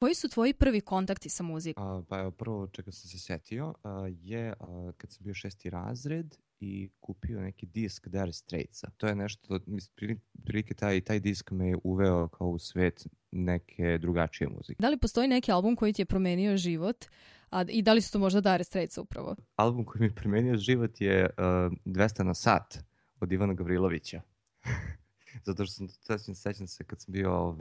Koji su tvoji prvi kontakti sa muzikom? Pa evo, prvo čega sam se setio je kad sam bio 6. razred i kupio neki disk Dire Straitsa. To je nešto, prilike taj disk me je uveo kao u svet neke drugačije muzike. Da li postoji neki album koji ti je promenio život i da li su to možda Dire Straits upravo? Album koji mi je promenio život je 200 na sat od Ivana Gavrilovića. Zato što sećam se kad sam bio,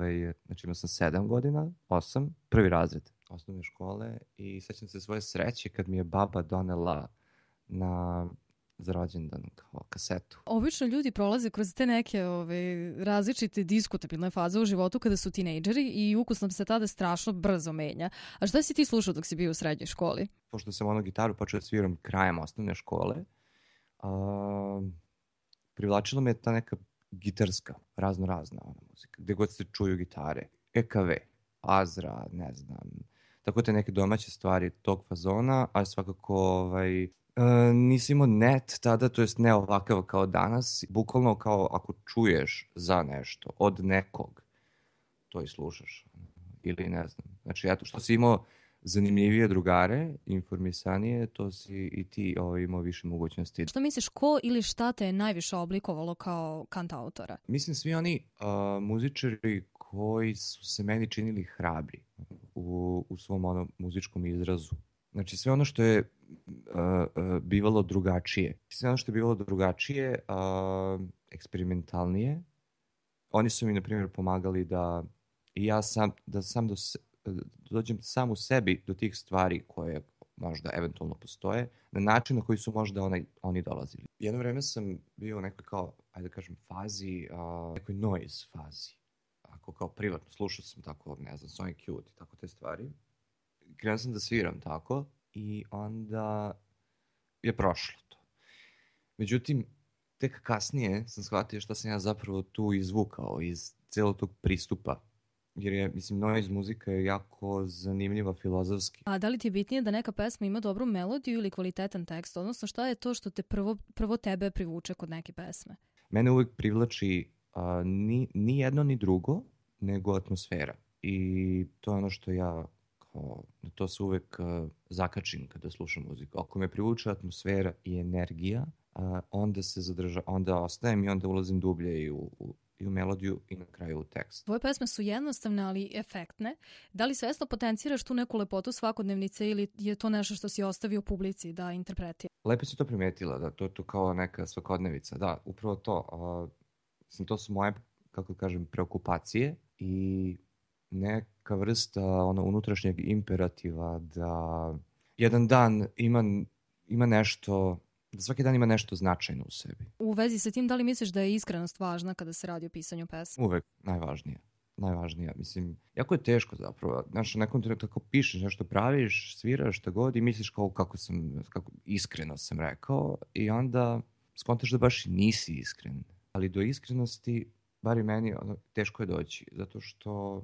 znači imao sam 7 godina, 8, prvi razred osnovne škole i sećam se svoje sreće kad mi je baba donela za rođendan kao kasetu. Obično ljudi prolaze kroz te neke različite diskutabilne faze u životu kada su tinejdžeri i ukus nam se tada strašno brzo menja. A šta si ti slušao dok si bio u srednjoj školi? Pošto sam gitaru počeo da sviram krajem osnovne škole, privlačila me ta neka gitarska, razna muzika, gde god se čuju gitare, EKV, Azra, ne znam, tako te neke domaće stvari tog fazona, a svakako nisi imao net tada, to jest ne ovakav kao danas, bukvalno kao ako čuješ za nešto od nekog, to i slušaš, ili ne znam, znači eto što si imao zanimljivije drugare, informisanije, to si i ti imao više mogućnosti. Što misliš, ko ili šta te je najviše oblikovalo kao kantautora? Mislim svi oni muzičari koji su se meni činili hrabri u svom muzičkom izrazu. Znači sve ono što je bivalo drugačije. Sve ono što je bivalo drugačije, eksperimentalnije. Oni su mi, na primjer, pomagali da i ja dođem sam u sebi do tih stvari koje možda eventualno postoje, na način na koji su možda oni dolazili. Jedno vreme sam bio u nekoj kao, ajde da kažem, fazi, nekoj noise fazi. Ako kao privatno, slušao sam tako, ne znam, Sonic Youth i tako te stvari. Krenuo sam da sviram tako i onda je prošlo to. Međutim, tek kasnije sam shvatio šta sam ja zapravo tu izvukao iz celog tog pristupa. Jer je, mislim, noise muzika je jako zanimljiva filozofski. A da li ti je bitnije da neka pesma ima dobru melodiju ili kvalitetan tekst? Odnosno, šta je to što te prvo tebe privuče kod neke pesme? Mene uvijek privlači ni jedno ni drugo, nego atmosfera. I to je ono što ja na to se uvijek zakačim kada slušam muziku. Ako me privuče atmosfera i energija, onda ostajem i onda ulazim dublje i u melodiju i na kraju u tekst. Tvoje pesme su jednostavne, ali efektne. Da li svesno potenciraš tu neku lepotu svakodnevnice ili je to nešto što si ostavio publici da interpretira? Lepo si to primetila, da to je to kao neka svakodnevica. Da, upravo to. To su moje, kako kažem, preokupacije i neka vrsta unutrašnjeg imperativa da jedan dan ima nešto, da svaki dan ima nešto značajno u sebi. U vezi sa tim, da li misliš da je iskrenost važna kada se radi o pisanju pesme? Uvek najvažnija. Mislim, jako je teško zapravo. Znaš, u nekom trenutku tako pišeš, nešto praviš, sviraš šta god i misliš kako iskreno sam rekao i onda skontaš da baš nisi iskren. Ali do iskrenosti, bar i meni, teško je doći, zato što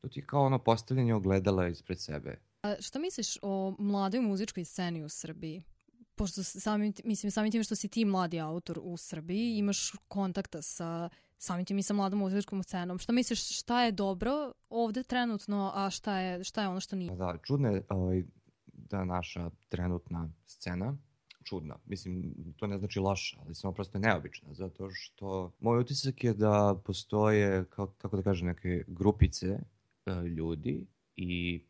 to ti je kao postavljanje ogledala ispred sebe. A šta misliš o mladoj muzičkoj sceni u Srbiji? Pošto samim tim što si ti mladi autor u Srbiji, imaš kontakta sa samim tim i sa mladom muzičkom scenom. Šta misliš, šta je dobro ovde trenutno, a šta je ono što nije? Da, čudno je da naša trenutna scena, čudna, mislim, to ne znači loša, ali samo prosto neobična, zato što moj utisak je da postoje, kako da kažem, neke grupice ljudi i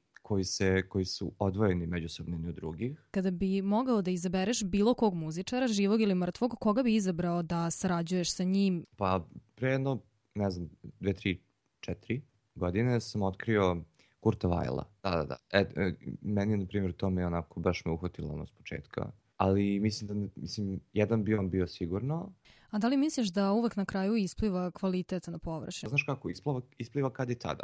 koji su odvojeni međusobno od drugih. Kada bi mogao da izabereš bilo kog muzičara, živog ili mrtvog, koga bi izabrao da sarađuješ sa njim? Pa pre jedno, ne znam, 2, 3, 4 godine sam otkrio Kurta Weila. Da. Meni je, na primjer, to me baš me uhvatilo s početka. Ali mislim, jedan bi on bio sigurno. A da li misliš da uvek na kraju ispliva kvalitet na površinu? Znaš kako, ispliva kad i tad.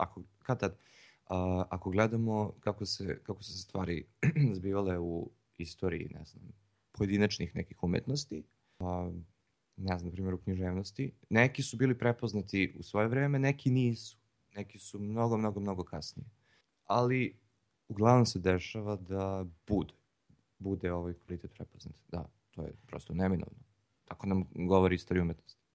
Ako gledamo kako su se stvari zbivale u istoriji, ne znam, pojedinačnih nekih umetnosti, ne znam, na primjer u književnosti, neki su bili prepoznati u svoje vreme, neki nisu. Neki su mnogo kasnije. Ali uglavnom se dešava da bude ovaj kvalitet prepoznat. Da, to je prosto neminovno. Tako nam govori istorija umetnosti.